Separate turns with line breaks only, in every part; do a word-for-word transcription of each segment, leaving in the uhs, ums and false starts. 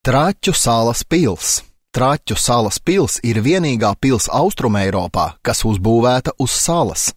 Traķu salas pils. Traķu salas pils ir vienīgā pils Austrumeiropā, kas uzbūvēta uz salas.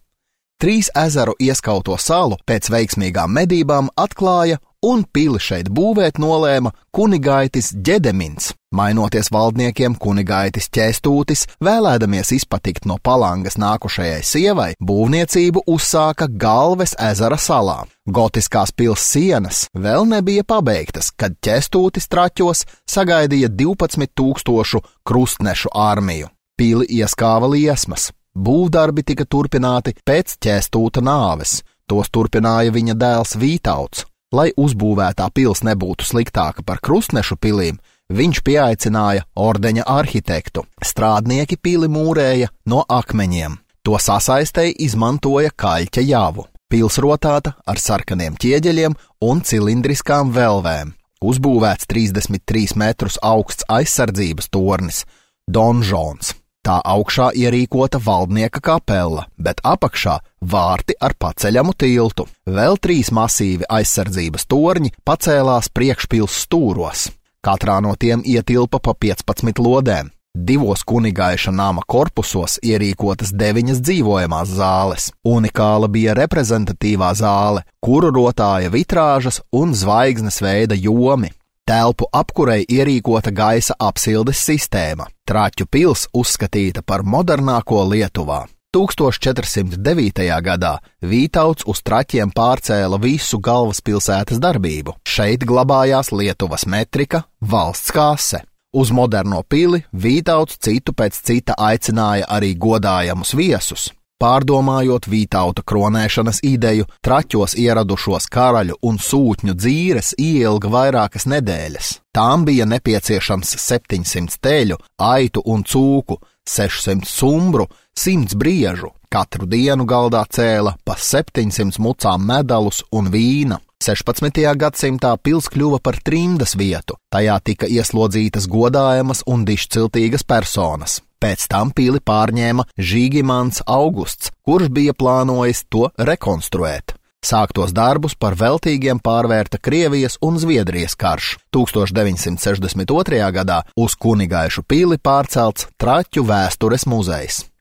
Trīs ezeru ieskauto salu pēc veiksmīgām medībām atklāja un pili šeit būvēt nolēma kunigaitis Ģedemins. Mainoties valdniekiem, kunigaitis Ķēstūtis, vēlēdamies izpatikt no Palangas nākušajai sievai, būvniecību uzsāka Galves ezera salā. Gotiskās pils sienas vēl nebija pabeigtas, kad Ķēstūtis Traķos sagaidīja divpadsmit tūkstošu krustnešu armiju. Pili ieskāva liesmas. Būvdarbi tika turpināti pēc Ķēstūta nāves. Tos turpināja viņa dēls Vītauts. Lai uzbūvētā pils nebūtu sliktāka par krustnešu pilīm, viņš pieaicināja ordeņa arhitektu. Strādnieki pili mūrēja no akmeņiem. To sasaistei izmantoja kaļķa javu. Pils rotāta ar sarkaniem ķieģeļiem un cilindriskām velvēm. Uzbūvēts trīsdesmit trīs metrus augsts aizsardzības tornis – donžons. Tā augšā ierīkota valdnieka kapela, bet apakšā vārti ar paceļamu tiltu. Vēl trīs masīvi aizsardzības torņi pacēlās priekšpils stūros. Katrā no tiem ietilpa pa piecpadsmit lodēm. Divos kunigaiša nama korpusos ierīkotas deviņas dzīvojamās zāles. Unikāla bija reprezentatīvā zāle, kuru rotāja vitrāžas un zvaigznes veida jomi. Telpu apkurei ierīkota gaisa apsildes sistēma. Traķu pils uzskatīta par modernāko Lietuvā. tūkstoš četri simti devītajā gadā Vītauts uz Traķiem pārcēla visu galvaspilsētas darbību. Šeit glabājās Lietuvas metrika, valsts kase. Uz moderno pili Vītauts citu pēc cita aicināja arī godājamus viesus. Pārdomājot Vītauta kronēšanas ideju, Traķos ieradušos karaļu un sūtņu dzīres ieilga vairākas nedēļas. Tām bija nepieciešams septiņsimt teļu, aitu un cūku, sešsimt sumbru, simts briežu. Katru dienu galdā cēla pa septiņsimt mucām medalus un vīna. sešpadsmitajā gadsimtā pils kļuva par trimdas vietu. Tajā tika ieslodzītas godājamas un dišciltīgas personas. Pēc tam pili pārņēma Žīgimants Augusts, kurš bija plānojis to rekonstruēt. Sāktos darbus par veltīgiem pārvērta Krievijas un Zviedrijas karš. tūkstoš deviņsimt sešdesmit otrajā gadā uz Kunigaišu pili pārcelts Traķu vēstures muzejs.